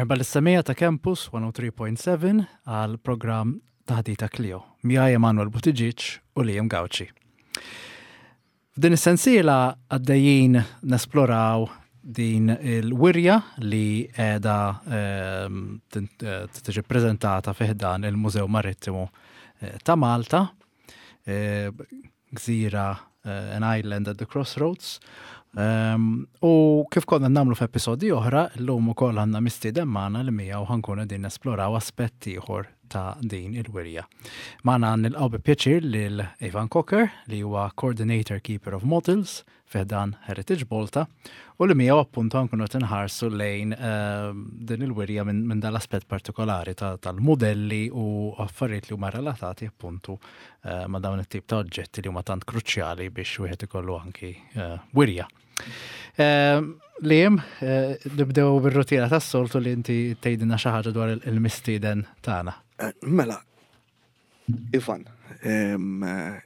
Merħba lis-semija ta' Campus 103.7 għal programm Taħdita Clio. Miegħi Emanuel Buttigieg u Liam Gauci. F'din is-sensiela għaddejjin nesploraw din il-wirja li qiegħda ehm, eh, tiġi ppreżentata fi ħdan il-Mużew Marittimu eh, ta' Malta eh, gżira eh, an island at the crossroads. Um, u kif konna namlu f'episodi oħra, l-lum ukoll għandna mistieden magħna li miegħu ħankun qegħdin nesploraw aspett ieħor ta' din il-wirja. Magħna nilqgħu bi pjaċir lil Ivan Cocker li huwa Coordinator Keeper of Models fi ħdan Heritage Malta u li miegħu appuntu nkunu qed inħarsu lejn ehm, din il-wirja minn dal-aspett partikolari tal-modelli u affarijiet li huma relatati appuntu eh, ma' dawn it-tip ta' oġġetti li huma tant kruċjali biex wieħed ikollu anki eh, wirja. Ehm, Liam, eh, nibdew bir-rutina tas-soltu li inti tgħidilna xi ħaġa dwar il-mistieden tagħna. Mela, Ivan,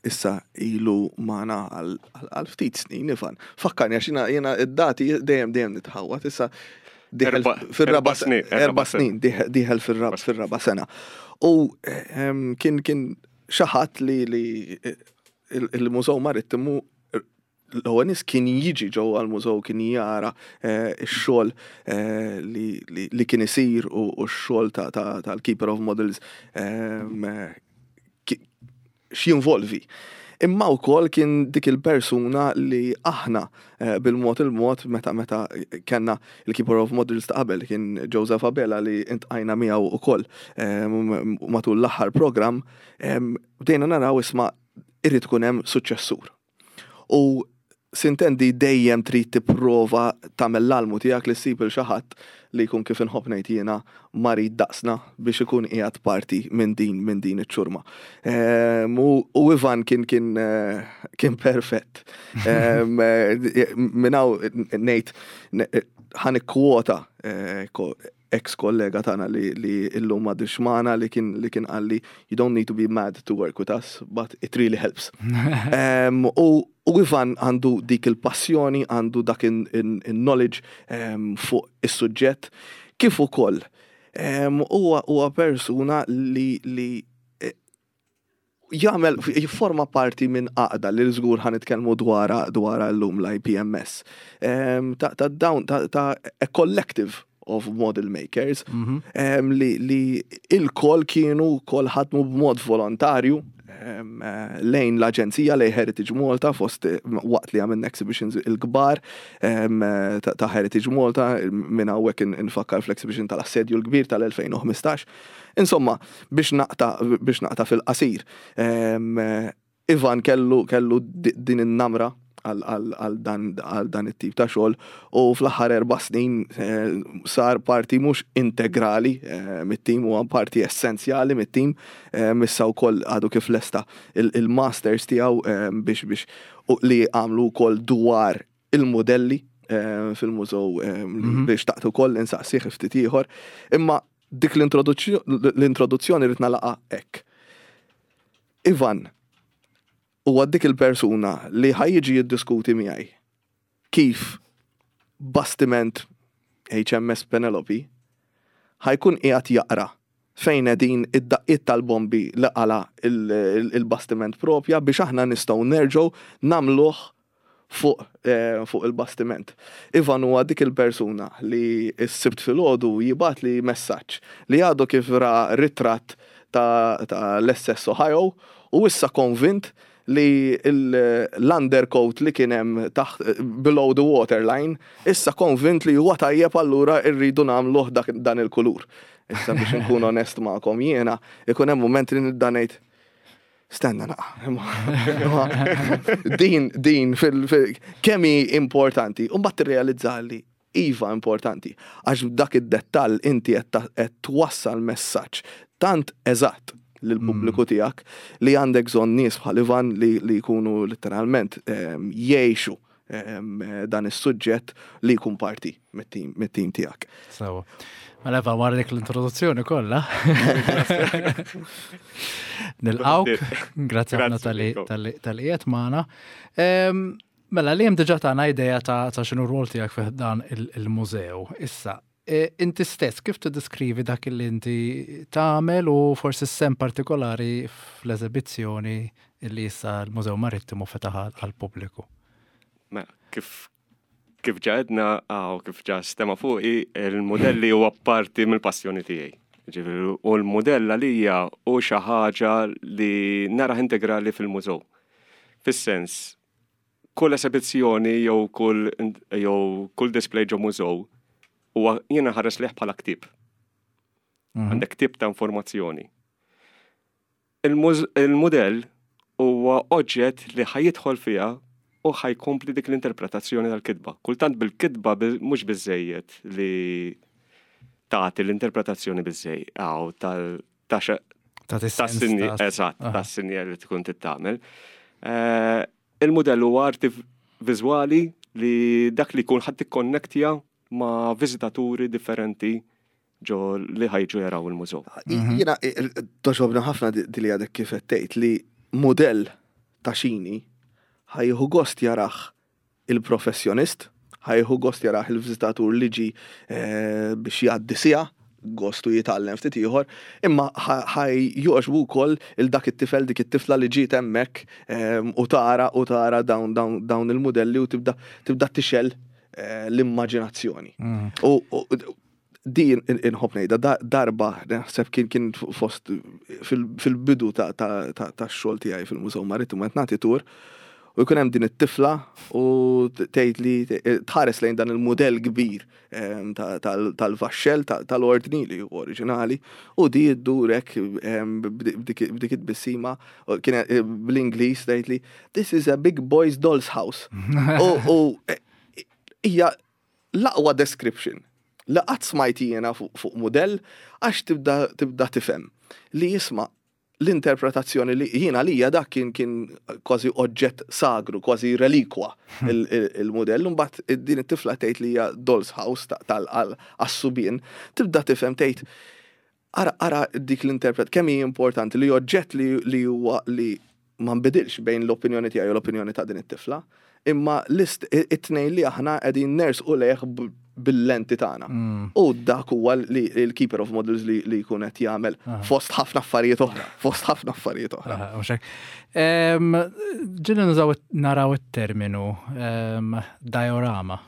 issa ilu magħna għal ftit snin, Ivan. Fakkarni għax jiena id-dati dejjem dejjem nitħawwad, issa fil-raba snin. Erba snin, diħel fil-raba sena. U kien kien xi ħadd li il-Mużew Marittimu l-ewwel nies kien jiġi ġewwa l-mużew kien jara eh, x-xogħol eh, li kien isir u x-xogħol tal-Keeper of Models ehm, x'jinvolvi. Imma wkoll kien dik il-persuna li aħna eh, bil-mod il-mod meta meta kellna il-Keeper of Models ta' qabel kien Joseph Abela li intqajna miegħu ukoll ehm, matul l-aħħar programm ehm, bdejna naraw isma' irid ikun hemm suċċessur. U sintendi dejjem trid tipprova tagħmel l-almu tiegħek li ssib il xi ħadd li jkun kif inħobb ngħid jiena marid daqsna biex ikun qiegħed parti minn din minn din iċ-ċurma. Ehm, u Ivan kien kien eh, kien perfett. Ehm, eh, minn hawn ngħid ħa nikkwota eh, ex kollega tagħna li li illum m'għadux magħna li kien li kien qalli you don't need to be mad to work with us, but it really helps. um, u, u Ivan għandu dik il-passjoni, għandu dak in-knowledge um, fuq is-suġġett, kif ukoll huwa um, persuna li li jagħmel jifforma parti minn għaqda li żgur ħa nitkellmu dwarha dwarha llum l-IPMS. Ehm, ta' ta' dawn ta' ta' a collective of model makers mhm. ehm, li, li il-kol kienu kol ħadmu b'mod volontarju ehm, lejn l-Aġenzija lejn Heritage Malta fost waqt li għamilna exhibitions il-kbar ta' Heritage Malta minn hawnhekk infakkar fl-exhibition tal-Assedju l-Kbir tal-2015. Insomma, biex naqta' biex naqta' fil-qasir, Ivan kellu kellu din in-namra għal dan it-tip ta' xogħol u fl-aħħar erba' snin eh, sar parti mhux integrali eh, mit-tim huwa parti essenzjali mit-tim eh, issa wkoll għadu kif lesta il-masters tiegħu biex biex li għamlu wkoll dwar il-modelli fil-mużew li xtaqt ukoll insaqsih ftit ieħor. Imma dik l-introduzzjoni rrid nagħlaqha hekk. Ivan huwa dik il-persuna li ħa jiġi jiddiskuti miegħi kif bastiment HMS Penelope ħa jkun qiegħed jaqra fejn qegħdin id-daqqiet tal-bombi li qala il-bastiment propja biex aħna nistgħu nerġgħu nagħmluh fuq eh, fuq il-bastiment. Ivan huwa dik il-persuna li s-sibt filgħodu jibgħatli messaġġ li għadu kif ra ritratt ta', ta l-SS Ohio u issa konvint li l-undercoat li kien hemm taħt below the waterline issa konvint li huwa tajjeb allura rridu nagħmluh dan il-kulur. Issa biex nkun onest magħkom jiena ikun hemm mument li nibda ngħid Stenna naqa. Din, din, fil, kemm hi importanti. U mbagħad tirrealizza li iva importanti. Għax dak id-dettall inti qed twassal messaġġ tant eżatt lill-pubbliku mm. tiegħek li għandek bżonn nies bħal Ivan li, li jkunu letteralment ehm, jgħixu ehm, dan is-suġġett li jkun parti mit-tim tiegħek. Sewa. Mela Eva, wara dik l-introduzzjoni kollha. Nilqawk, grazzi ħafna tal-li qiegħed magħna. Mela li hemm diġà tagħna idea ta' x'inhu r-rol tiegħek fih dan il-mużew. Issa, Inti stess kif tiddeskrivi dak li inti tagħmel u forsi s-sehem partikolari fl-eżebizzjoni li issa l-Mużew Marittimu fetaħ għall-pubbliku? Mela, kif kif ġa għedna u kif ġa stema fuqi, il-modelli huwa parti mill-passjoni tiegħi. Ġifieri, u l-modell għalija hu xi ħaġa li narah integrali fil-mużew. Fis-sens, kull esebizzjoni jew kull jew kull display ġo mużew huwa jiena nħares lejh bħala ktieb. Għandek ktieb ta' informazzjoni. Il-mudell huwa oġġett li ħa jidħol fiha u ħa jkompli dik l-interpretazzjoni tal-kitba. Kultant bil-kitba mhux biżejjed li tagħti l-interpretazzjoni biżejjed tal ta' tas-sinjal li tkun tittamel. Eh, il-mudell huwa arti viżwali li dak li jkun ħadd tikkonnektja ma' viżitaturi differenti ġo li ħajġu jaraw il-mużew. Mhm. Jiena toġobna ħafna di li għadek kif qed tgħid li mudell ta' xini ħajħu gost jarah il-professjonist, ħajħu gost jarah il-viżitatur li ġi eh, biex jgħaddi siegħa gostu jitgħallem ftit ieħor, imma ħaj joqgħoġbu wkoll il dak it-tifel dik it-tifla li ġiet hemmhekk ehm, u tara u tara dawn dawn il-mudelli u tibda tibda tixel eh, l-immaġinazzjoni. Mm. U din inħobb ngħidha darba naħseb kien kien fost fil-bidu ta' xogħol tiegħi fil-Mużew Marittimu qed nagħti tur u jkun hemm din it-tifla u tgħid li tħares lejn dan il-mudell kbir ehm, tal-vaxxell tal-ordni li hu oriġinali u di ddurek ehm, b'dik it-tbissima kien eh, bl-Ingliż tgħid li this is a big boy's doll's house. U eh, hija l-aqwa description li qatt smajt jiena fuq mudell għax tibda tibda tifhem li jisma' l-interpretazzjoni li jiena għalija dak kien kien kważi oġġett sagru, kważi relikwa il-mudell, imbagħad din it-tifla tgħid li hija doll's house tal-għas-subien, tibda tifhem tgħid Ara, ara dik l-interpret, kemm hi importanti li oġġett li, li huwa li ma nbidilx bejn l-opinjoni tiegħi u l-opinjoni ta' din it-tifla, imma l-ist it-tnejn li aħna qegħdin nersqu lejh bil-lenti tagħna. Mm. U dak huwa li l-keeper of models li, li jkun qed jagħmel fost ħafna affarijiet oħra, fost ħafna affarijiet oħra. Ġieli nużaw naraw it-terminu diorama.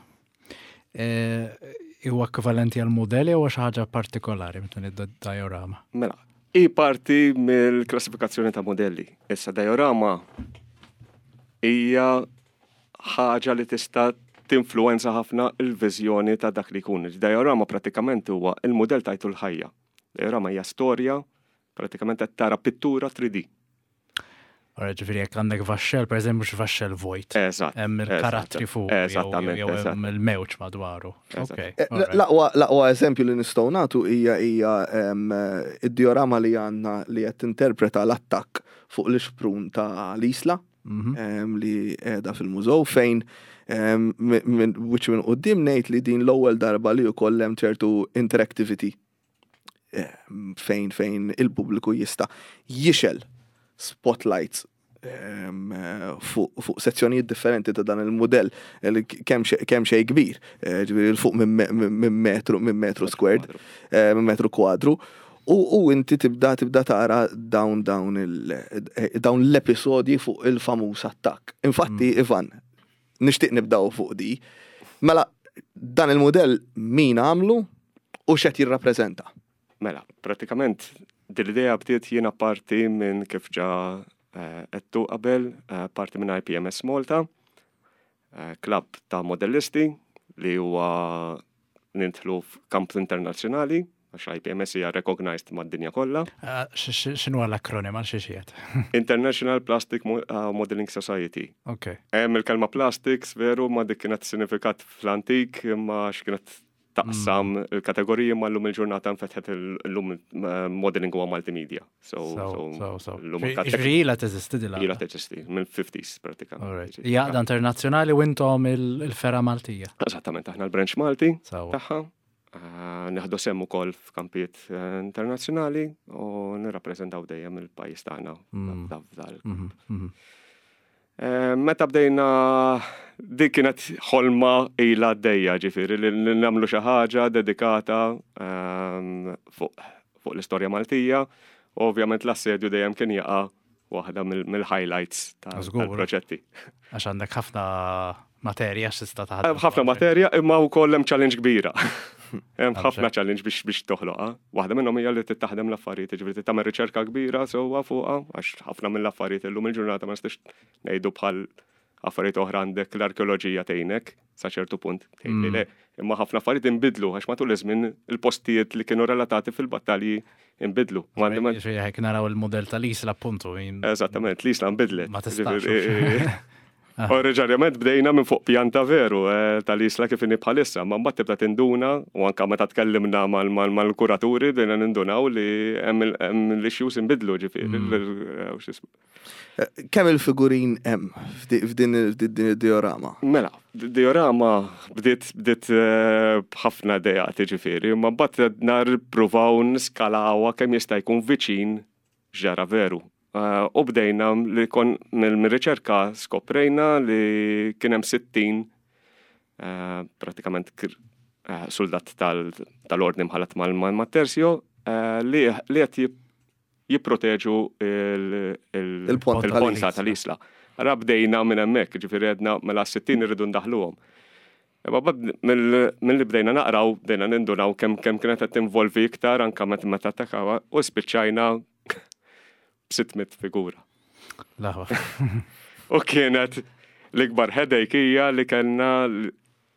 Huwa ekwivalenti għal mudell jew xi ħaġa partikolari meta ngħidu diorama? Mela, hi parti mill-klassifikazzjoni ta' modelli. Issa diorama hija ħaġa li tista' tinfluwenza ħafna l-viżjoni ta' dak li jkun. Diorama pratikament huwa il-mudell tajtu l-ħajja. Diorama hija storja, pratikament qed tara pittura 3D. Ora ġifieri jekk għandek vaxxel, per eżempju, mhux vaxxel vojt. Eżatt. Hemm il-karattri fuq. Eżattament. Jew hemm il-mewġ madwaru. Eh, l-aqwa eżempju li nistgħu nagħtu hija hija id-diorama li għandna li qed tinterpreta l-attakk fuq l-ixprun ta' l-Isla mhm. li qiegħda fil-mużew fejn minn wiċċ minn quddiem ngħid li din l-ewwel darba li wkoll hemm ċertu interactivity fejn fejn il-pubbliku jista' jixel spotlights fuq sezzjonijiet differenti ta' dan il-mudell kemm xejn kbir, eh, ġifieri l fuq minn metru minn metru squared, eh, minn metru kwadru. U inti tibda tibda tara dawn dawn eh, dawn l-episodji fuq il-famuż attakk. Infatti, mm. Ivan, Nixtieq nibdaw fuq di. Mela, dan il-mudell min għamlu u x'qed jirrappreżenta? Mela, pratikament dil-idea bdiet jiena parti minn kif ġa eh, għedtu qabel, eh, parti minn IPMS Malta, eh, klabb ta' modellisti li huwa nidħlu f'kamp internazzjonali, għax IPMS hija recognized mad-dinja kollha. Ah, x'inhu l-akronim għal xi xiet? International Plastic ah, Modeling Society. Ok. Hemm il-kelma plastics veru ma dik kienet sinifikat fl-antik imma x'kienet taqsam mm. il-kategoriji ma llum il-ġurnata nfetħet l-lum eh, modeling huwa multimedia. So, so, so, so. Ġifieri ilha teżisti dila. Ilha teżisti, mill-50s pratikament. Hija għaqda internazzjonali u intom il-fergħa Maltija. Eżattament, aħna l-branch Malti tagħha. Eh, Neħdu sehem ukoll f'kampijiet eh, internazzjonali u nirrappreżentaw dejjem il-pajjiż tagħna mm. f'dal. Mm-hmm, mm-hmm. Eh, meta bdejna Dik kienet ħolma ilha għaddejja, ġifieri li nagħmlu xi ħaġa dedikata fuq l-istorja Maltija. U ovvjament l-assedju dejjem kien jaqa' waħda mill-highlights tal-proġetti. Għax għandek ħafna materja x'tista' taħdem. Ħafna materja imma wkoll hemm challenge kbira. Hemm ħafna challenge biex toħloqha. Waħda minnhom hija li tittaħdem l-affarijiet, jiġifieri tagħmel riċerka kbira sewwa fuqha għax ħafna mill-affarijiet illum il-ġurnata ma nistax ngħidu bħal affarijiet oħra għandek l-arkeoloġija tgħinek sa ċertu punt. Tgħidli le, imma ħafna affarijiet inbidlu għax matul iż-żmien il-postijiet li kienu relatati fil-battalji inbidlu. Ġifieri naraw il-mudell tal-Isla appuntu. Eżattament, l-Isla nbidlet. Ma tistax. Oriġinarjament bdejna minn fuq pjanta veru tal-Isla kif inhi bħalissa, ma mbagħad tibda tinduna u anke meta tkellimna mal-kuraturi bdejna nindunaw li hemm l-issues inbidlu ġifieri. Kemm il-figurin hemm f'din id-diorama? Mela, diorama bdiet bdiet eh, b'ħafna idejat ġifieri, imma mbagħad nar pruvaw niskalawha kemm jista' jkun viċin ġara veru. Eh, u bdejna li kon mill-riċerka skoprejna li kien hemm 60 eh, pratikament soldat tal-ordni mħallat mal-tersjo li qed jipproteġu il-ponta tal-isla. Ara bdejna minn hemmhekk, ġifieri għedna mela 60 irridu ndaħluhom. Imma mill-li bdejna naqraw, bdejna nindunaw kemm kemm kienet qed tinvolvi iktar anke meta meta attakawha u spiċċajna b'600 figura. Laħwa. U kienet l-ikbar headache hija li kellna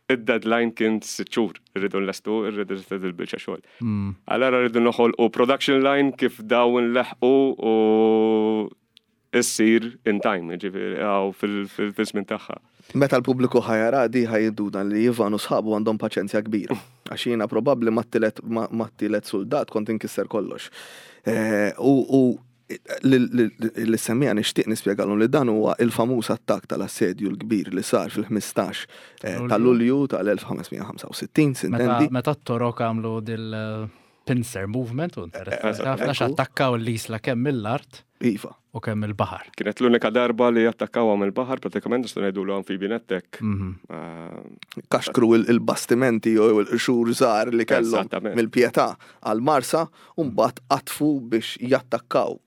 Id-deadline kien sitt xhur, irridu nlestu, irridu nlestu il-biċċa xogħol. Allora rridu noħolqu production line kif dawn nleħqu u issir in time, ġifieri għaw fil-żmien tagħha. Meta l-pubbliku ħa jara di ħa jinduna li Ivan u sħabu għandhom paċenzja kbira. Għax jiena probabbli mat-tielet suldat kont inkisser kollox. U Lis-semmiegħa nixtieq nispjegalhom li dan huwa il-famuż attakk tal-Assedju l-Kbir li sar fil-15 ta' Lulju tal-1565, sintendi. Meta t-Torok għamlu dil-pincer movement u interessanti ħafna x'attakkaw l-isla kemm mill-art Iva. u kemm mill-baħar. Kienet l-unika darba li attakkawha mill-baħar, pratikament nistgħu ngħidulu amphibian attack. Kaxkru il-bastimenti jew il-qxur żgħar li kellhom mill-Pietà għall-Marsa u mbagħad qatfu biex jattakkaw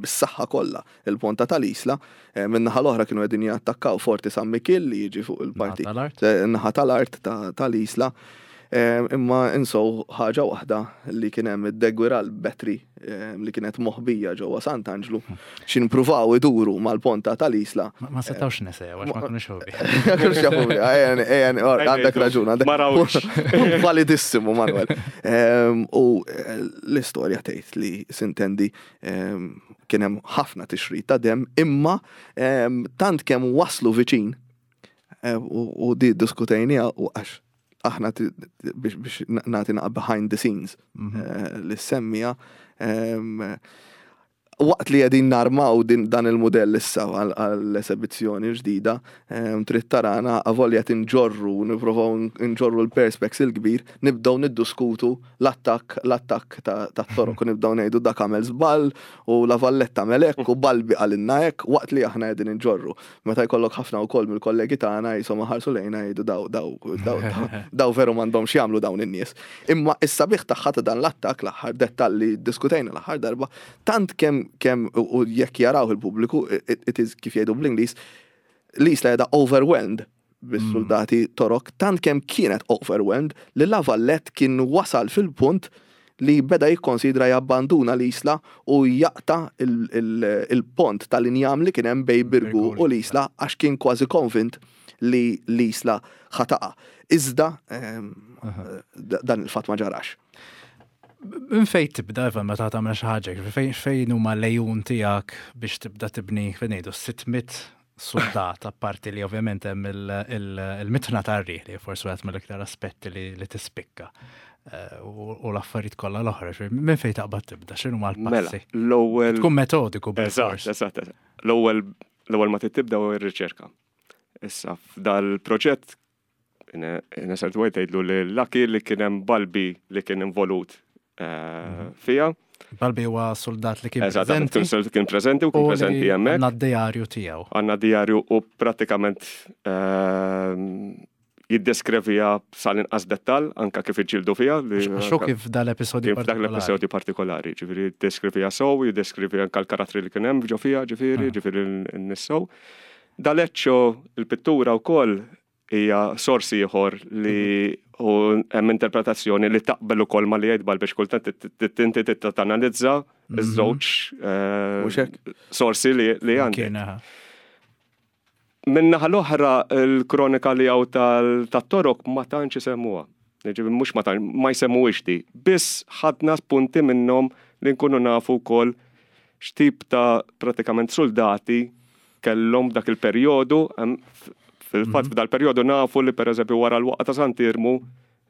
bis-saħħa kollha il-ponta tal-Isla. Min-naħa l-oħra kienu qegħdin jattakkaw Forti San Mikiel li jiġi fuq il-parti naħa tal-art tal-Isla. Imma insow ħaġa waħda li kien hemm id-Deguiral Battery li kienet moħbija ġewwa Sant'Anġlu xi npruvaw iduru mal-ponta tal-Isla. Ma setgħux nesew għax ma kinux jafu bih. Ma kinux jafu bih, għandek raġun. Ma rawx. Validissimu, Manuel. U l-istorja tgħid li sintendi kien hemm ħafna tixrid ta' demm imma tant kemm waslu viċin u di ddiskutejniha u għax aħna biex nagħti naqa' behind the scenes li semmija waqt li qegħdin narmaw dan il-mudell issa għall-esebizzjoni ġdida, trid tarana avolja qed inġorru, nipprovaw nġorru l-perspex il-kbir, nibdew niddiskutu l-attakk l-attakk tat-Torok u nibdew ngħidu dak għamel żball u La Valletta għamel hekk u Balbi qalilna hekk waqt li aħna qegħdin inġorru. Meta jkollok ħafna wkoll mill-kollegi tagħna qishom iħarsu lejna jgħidu daw daw daw daw veru m'għandhomx jagħmlu dawn in-nies. Imma s-sabiħ tagħha ta' dan l-attakk l-aħħar dettall li ddiskutejna l-aħħar darba, tant kemm kemm u jekk jarawh il-pubbliku it is kif jgħidu bl-Ingliż l-Isla qiegħda overwhelmed bis-suldati Torok tant kemm kienet overwhelmed li La Valette kien wasal fil-punt li beda jikkonsidra jabbanduna l-Isla u jaqta' il-pont tal-injam li kien hemm bejn Birgu u l-Isla għax kien kważi konvint li l-Isla ħa taqa'. Iżda dan il-fatt ma ġarax. Minn fejn tibda Ivan meta tagħmel xi ħaġa, fejn huma l-għejun tiegħek biex tibda tibni fejn ngħidu 600 suldat, apparti li ovvjament hemm il-mitna tar-riħ li forsi wieħed mill-iktar aspetti li tispikka eh, u l-affarijiet kollha l-oħra, minn fejn taqbad tibda, x'inhu mal-passi? Mela, l-ewwel. Tkun metodiku. Eżatt, eżatt. L-ewwel l-ewwel ma tibda u r-riċerka. Issa f'dal-proġett Nesert White tgħidlu li Lucky li kien hemm Balbi li kien involut eh, mhm. fija. Balbi huwa soldat li kien Eżattament, preżenti. Kien preżenti u kien preżenti hemmhekk. Għandna d-dijarju tiegħu. Għandna dijarju u prattikament jiddeskrivija sal-inqas dettal anka kif iġġieldu fiha. Għax hu kif dal-episodju partikolari. Dak l-episodju partikolari, ġifieri jiddeskrivija sew, jiddeskrivi anka l-karattri li kien hemm ġo fiha, ġifieri, ġifieri n-nies sew. D'Aleccio il-pittura wkoll hija sors ieħor li u hemm interpretazzjoni li taqbel ukoll ma li jgħid Balbi kultant inti trid tanalizza iż-żewġ sorsi li għandek. Min-naħa l-oħra l-kronika li hawn tat-Torok ma tantx isemmuha. Jiġifieri mhux ma tantx, ma jsemmuhiex di. Biss ħadna spunti minnhom li nkunu nafu wkoll x'tip ta' pratikament suldati kellhom dak il-perjodu. Fil-fatt f'dal-perjodu nafu li pereżempju wara l-waqgħa ta' Sant'Iermu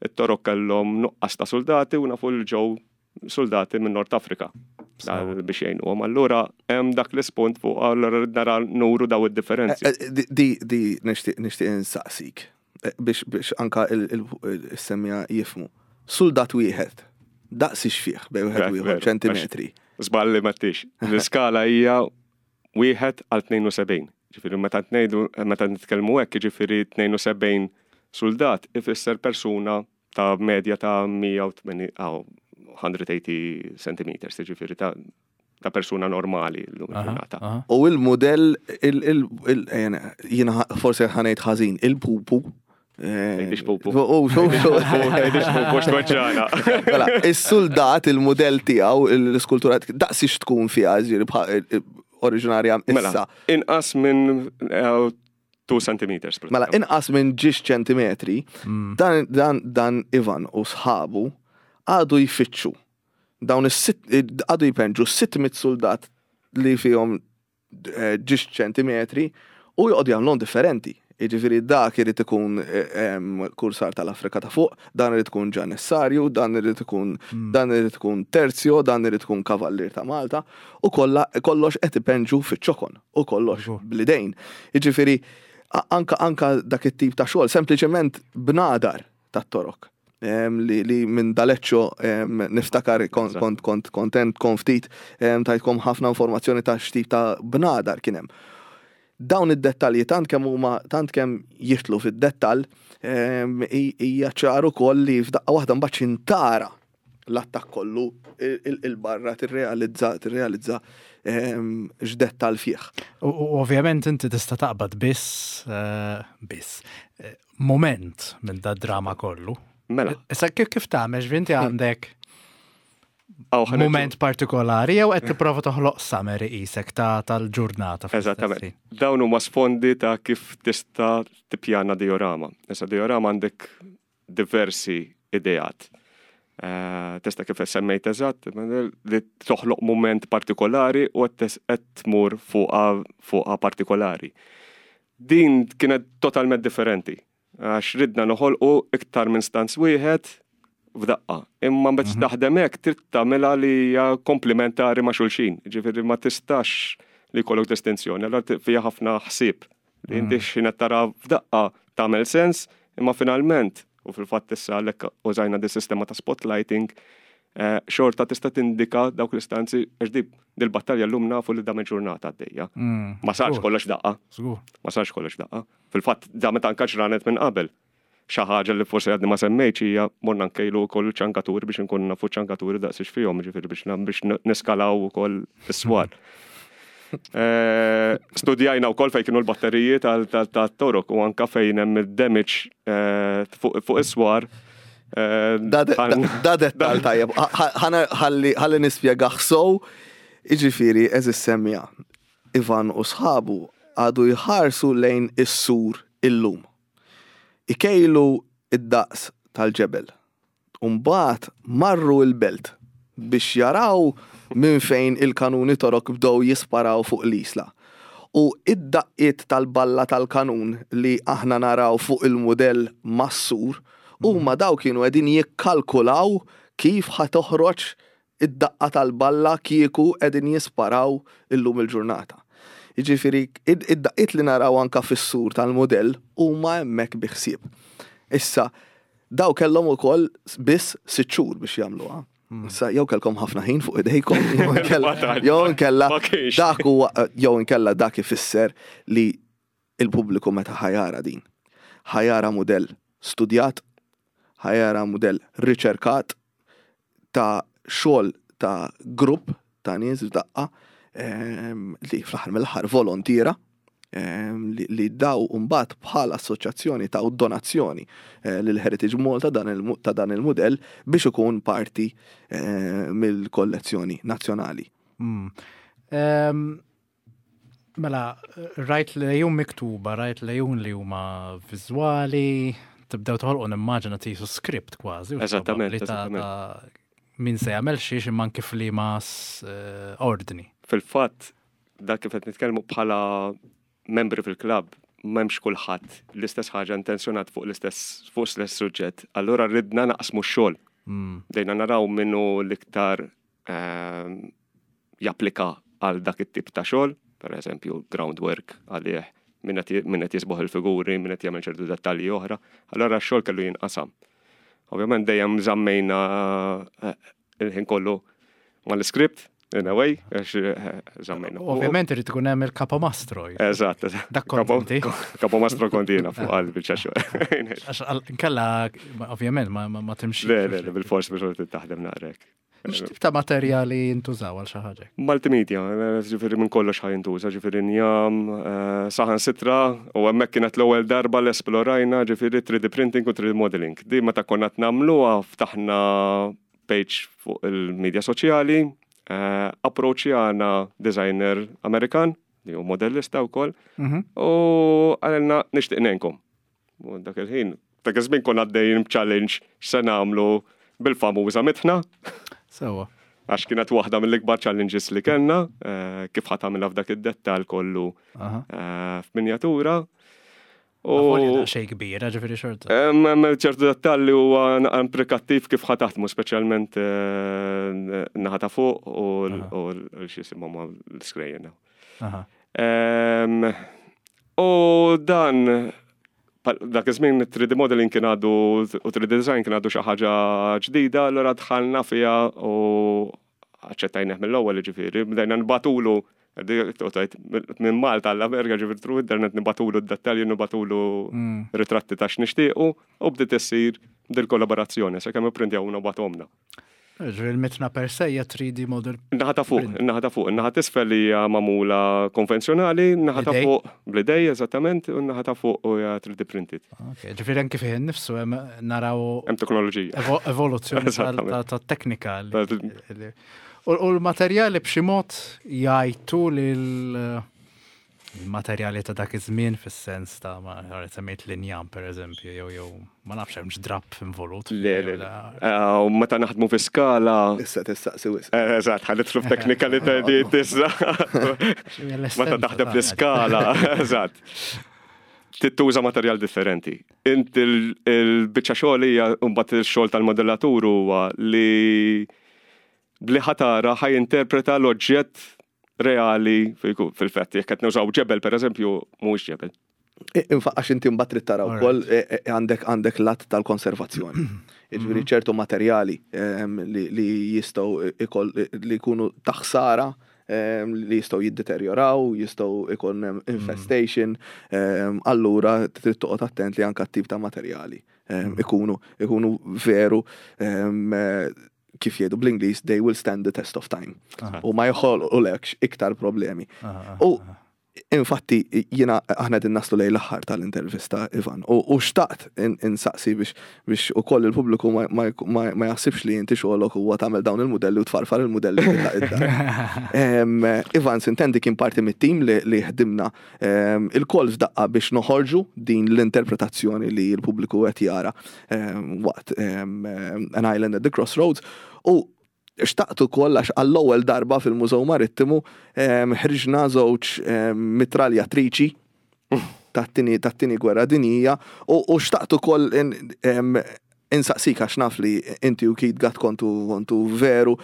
it-Torok kellhom nuqqas ta' suldati u nafu li ġew suldati minn Nord Afrika biex jgħinuhom. Allura hemm dak l-ispunt fuq allura rid nara nuru daw id-differenzi. Di di nixtieq nixtieq insaqsik biex biex anka il-semmija jifhmu. Suldat wieħed daqs ix fih bejn wieħed u ieħor ċentimetri. Żball li m'għedtix. L-iskala hija 1 għal 72. Ġifieri meta ngħidu meta nitkellmu hekk, jiġifieri 72 suldat ifisser persuna ta' medja ta' 180 180 centimeters, ġifieri ta' ta' persuna normali l-lum il-ġurnata. U il-modell, jiena forsi ħanejt ħażin, il-pupu Tgħidix pupu. U xu xu. Tgħidix pupu x'tweġġana. Mela, is-suldat il-mudell tiegħu l-iskultura daqsix tkun fiha ġieri oriġinarja mela, issa. Inqas minn 2 eh, centimeters. Mela, inqas minn ġiex ċentimetri, mm. dan, dan, dan Ivan u sħabu għadu jfittxu dawn is-sitt għadu jpenġu 600 soldat li fihom eh, ġiex ċentimetri u joqgħodu jagħmluhom differenti. Jiġifieri dak irid ikun eh, kursar tal-Afrika ta' fuq, dan irid ikun ġanessarju, dan irid ikun hmm. dan irid ikun terzjo, dan irid ikun kavallier ta' Malta u kollha kollox qed ipenġu fiċ-ċokon u kollox blidejn. Jiġifieri anka anka dak it-tip ta' xogħol sempliċement bnadar tat-Torok. Li, li minn D'Aleccio niftakar kont kont kont kontent kon ftit tajtkom ħafna informazzjoni ta' x'tip ta' bnadar kien hemm. Dawn id-dettalji tant kemm huma tant kemm jidħlu fid-dettall hija ċar ukoll li f'daqqa waħda mbagħad x'intara l-attakk kollu il-barra tirrealizza tirrealizza x'dettall fih. U ovvjament inti tista' taqbad biss eh, biss eh, moment minn da drama kollu. Mela. Issa kif kif tagħmel ġvinti għandek moment partikolari jew qed tipprova toħloq summary qisek ta' tal-ġurnata. Eżattament. Dawn huma sfondi ta' kif tista' tippjana diorama. Issa diorama għandek diversi ideat. Eh, tista' kif semmejt eżatt, li toħloq moment partikolari u qed tmur fuqha partikolari. Din kienet totalment differenti, għax ridna noħolqu iktar minn stanz wieħed f'daqqa. Imma meta mhm. taħdem hekk trid tagħmilha li hija komplementari ma' xulxin. Ġifieri ma tistax li jkollok distinzjoni, allura fiha ħafna ħsieb Li inti mm. x'ħin qed tara f'daqqa tagħmel sens, imma finalment, u fil-fatt issa għalhekk użajna di sistema ta' spotlighting, eh, xorta tista' tindika dawk l-istanzi għax di dil-battalja llum nafu li dam il-ġurnata għaddejja. Mm. Ma sarx kollox daqqa. Ma sarx kollox daqqa. Fil-fatt damet anka ġranet minn qabel. Xi ħaġa li forsi għadni ma semmejtx hija morna nkejlu wkoll iċ-ċankaturi biex inkunu nafu ċ-ċankaturi daqs ix fihom, jiġifieri biex biex niskalaw ukoll is-swar. Eh, studjajna wkoll fejn kienu l-batteriji tat-torok u anka fejn hemm id-damage eh, fuq is-swar. Eh, da dettal tajjeb, ħalli nispjegaħ sow, iġifieri eżis semmija. Ivan u sħabu għadu jħarsu lejn is-sur illum. Ikejlu d-daqs tal-ġebel. U mbagħad marru l-belt biex jaraw minn fejn il-kanuni Torok bdew jisparaw fuq l-Isla. U id-daqqiet tal-balla tal-kanun li aħna naraw fuq il-mudell mas-sur, huma daw kienu qegħdin jikkalkulaw kif ħa toħroġ id-daqqa tal-balla kieku qegħdin jisparaw illum il-ġurnata. Jiġifieri id-daqqiet li naraw anka fis-sur tal-mudell huma hemmhekk bi ħsieb. Issa, daw kellhom ukoll biss sitt xhur biex jagħmluha. Issa jew kellkom ħafna ħin fuq idejkom, jew inkella dak huwa jew inkella dak ifisser li il-pubbliku meta ħa jara din. Ħa jara mudell studjat, ħa jara mudell riċerkat ta' xogħol ta' grupp ta' nies f'daqqa li fl-aħħar mill-aħħar volontiera li daw mbagħad bħala assoċjazzjoni taw donazzjoni lil Heritage Malta ta' dan il-mudell biex ikun parti mill-kollezzjoni nazzjonali. Mela, rajt lejun miktuba, rajt lejun li huma viżwali, tibdew toħolqu nimmaġina tisu script kważi. Eżattament. Min se jagħmel xiex imma kif li ma ordni. Fil-fatt, dak kif qed nitkellmu bħala membri fil-klabb, m'hemmx kulħadd l-istess ħaġa intenzjonat fuq l-istess fuq l-istess suġġett. Allura ridna naqsmu x-xogħol. Bdejna naraw minnu l-iktar japplika għal dak it-tip ta' xogħol, per eżempju groundwork għalih, min qed jisboħ il-figuri, min qed jagħmel ċertu dettalji oħra. Allura x-xogħol kellu jinqasam. Ovvjament dejjem żammejna il-ħin kollu mal-iskript, in a way, għax żammejna. Ovvjament irid ikun hemm il-kapomastro. Eżatt. Dak kont inti. Kapomastro kont jiena fuq għal biċċa xogħol. Għax nkella ovvjament ma timxi. Le, le, bil-fors biex taħdem naqrek. X'tip ta' materjali jintużaw għal xi ħaġa? Multimedia, ġifieri minn kollox ħa jintuża, ġifieri njam, saħan sitra, u hemmhekk kienet l-ewwel darba li esplorajna ġifieri 3D printing u 3D modeling. Di meta konna qed nagħmluha ftaħna page fuq il-media soċjali, approachjana designer Amerikan li hu modellista wkoll, u qalilna nixtieq ngħinkom. U dak il-ħin, dak iż-żmien konna għaddejjin b'challenge x'se nagħmlu bil-famuża mitħna. Sewwa. Għax kienet waħda mill-ikbar challenges li kellna, kif ħa tagħmilha f'dak id-dettall kollu f'minjatura. U xejn kbira, ġifieri xorta. Hemm ċertu dettalli huwa implikattiv kif ħa taħdmu, speċjalment naħa ta' fuq u l-x'isimhom l-iskrejjen. U dan dak iż-żmien 3D modeling kien għadu u 3D design kien għadu xi ħaġa ġdida, allura dħalna fiha u aċċettajnieh mill-ewwel ġifieri, bdejna nbatulu minn Malta għall-Amerika ġifieri through internet nibatulu d-dettalji, nibatulu ritratti ta' x'nixtiequ u bdiet issir dil-kollaborazzjoni sakemm ipprintjawna u bagħtuhomlna. Ġifieri l-mitna per se hija 3D model. Naħa ta' fuq, naħa ta' fuq, naħa t'isfel hija magħmula konvenzjonali, naħa ta' fuq bl-idej eżattament, u naħa ta' fuq hija 3D printed. Ok, ġifieri anke fih innifsu hemm naraw Hemm teknoloġija. Evoluzzjoni ta' teknika. U l-materjali b'xi mod jgħajtu lil Il-materjali ta' dak iż-żmien fis-sens ta' ma semmejt l-injam pereżempju jew jew ma nafx hemmx drapp involut. Le, le, le. U meta naħdmu fi skala. Issa tistaqsi wisq. Eżatt, ħa nidħlu f'teknikalità issa. Meta taħdem fl-iskala, eżatt. Tittuża materjal differenti. Inti l-biċċa xogħol hija mbagħad ix-xogħol tal-modellatur huwa li bli ħatara ħa jinterpreta l-oġġett reali fil-fatt jekk qed nużaw ġebel pereżempju mhuwiex ġebel. Għax inti mbagħad trid tara wkoll e, e, għandek għandek lat tal-konservazzjoni. Jiġifieri mhm. ċertu materjali ehm, li jistgħu li jkunu taħsara ehm, li jistgħu jiddeterjoraw, jistgħu ikun mhm. infestation, ehm, allura trid toqgħod attent li anke tip ta' materjali mhm. ikunu ikunu veru kif jgħidu bl-Ingliż, they will stand the test of time. U ma jħolqulekx iktar problemi. U infatti jiena aħna din naslu lejn l-aħħar tal-intervista Ivan u xtaqt insaqsi biex biex ukoll il-pubbliku ma jaħsibx li inti xogħolok huwa tagħmel dawn il-mudelli u tfarfar il-mudelli Ivan sintendi kien parti mit-tim li ħdimna ilkoll f'daqqa biex noħorġu din l-interpretazzjoni li l-pubbliku qed jara waqt An Island at the Crossroads u xtaqt ukoll għax għall-ewwel darba fil-Mużew Marittimu ħriġna żewġ mitraljatriċi tat-tieni gwerra dinjija u xtaqt ukoll insaqsik għax naf li inti u Keith Gatt kontu kontu veru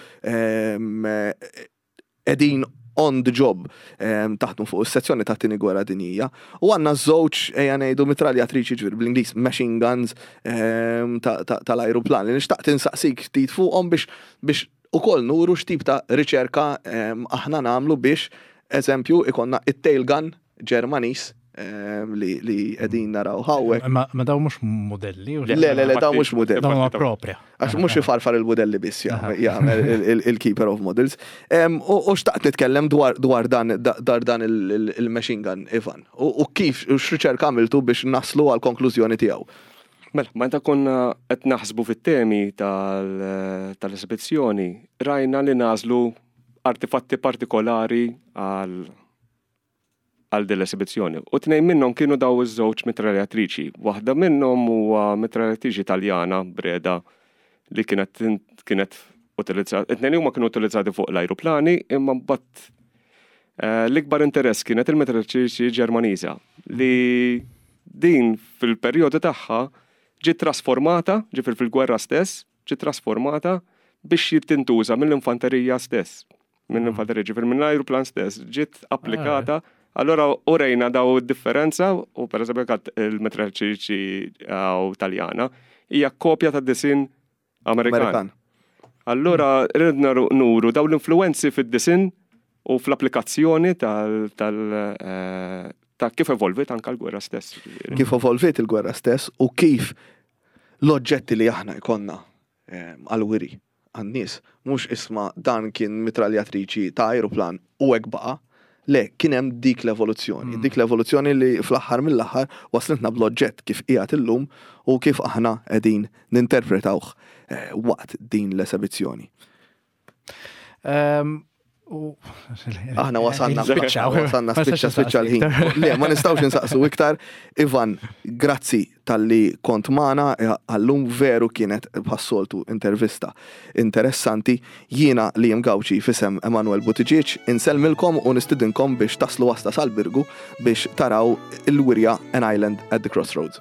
qegħdin on the job taħdmu fuq is-sezzjoni ta' tieni gwerra dinjija u għandna żewġ ejja ngħidu mitraljatriċi ġifieri bl-Ingliż machine guns tal-ajruplan li nixtaqt insaqsik ftit fuqhom biex biex ukoll nuru x'tip ta' riċerka aħna nagħmlu biex eżempju ikonna it-tail gun Ġermaniż li li qegħdin naraw hawnhekk. Ma daw mhux modelli. Le, le, le, daw mhux modelli. Daw propria. Għax mhux ifarfar il-modelli biss jagħmel il-keeper of models. U xtaqt nitkellem dwar dan dwar dan il-machine gun, Ivan. U kif u x'riċerka għamiltu biex naslu għal konklużjoni tiegħu. Mela, meta konna qed naħsbu fit-temi tal-esibizzjoni, rajna li nażlu artifatti partikolari għal għal din l-esibizzjoni. U tnejn minnhom kienu daw iż-żewġ mitraljatriċi. Waħda minnhom huwa mitraljatriċi Taljana Breda li kienet kienet utilizzata, it-tnejn huma kienu utilizzati fuq l-ajruplani imma mbagħad eh, l-ikbar interess kienet il-mitraljatriċi Ġermaniża li din fil-perjodu tagħha ġiet trasformata, ġifier fil-gwerra stess, ġiet trasformata biex tintuża mill-infanterija stess. Mill-infanterija, ġifier mill-ajruplan stess, ġiet applikata. Ah. Allora urejna daw differenza u per eżempju kat il-metraċiċi u Taljana hija kopja ta' disin Amerikan. Allora ridna nuru daw l-influenzi fid-disin u fl-applikazzjoni tal, tal eh, ta' kif evolvit anka l-gwerra stess. Kif evolvit il-gwerra stess u kif l-oġġetti li aħna jkollna ehm, għal-wiri għan-nies, mhux isma' dan kien mitraljatriċi ta' ajruplan u hekk baqa'. Le, kien hemm dik l-evoluzzjoni. Dik l-evoluzzjoni li fl-aħħar mill-aħħar waslitna bl-oġġett kif qiegħed illum u kif aħna qegħdin ninterpretawh eh, waqt din l-esebizzjoni. Ehm, Aħna wasalna wasalna spiċċa spiċċa l-ħin. Le, ma nistgħux insaqsu iktar. Ivan, grazzi tal-li kont magħna eh, għallum veru kienet bħas-soltu intervista interessanti. Jiena li Gawċi fisem Emanuel Buttigieg insellmilkom u nistidinkom biex taslu wasta sal-Birgu biex taraw il-wirja An Island at the Crossroads.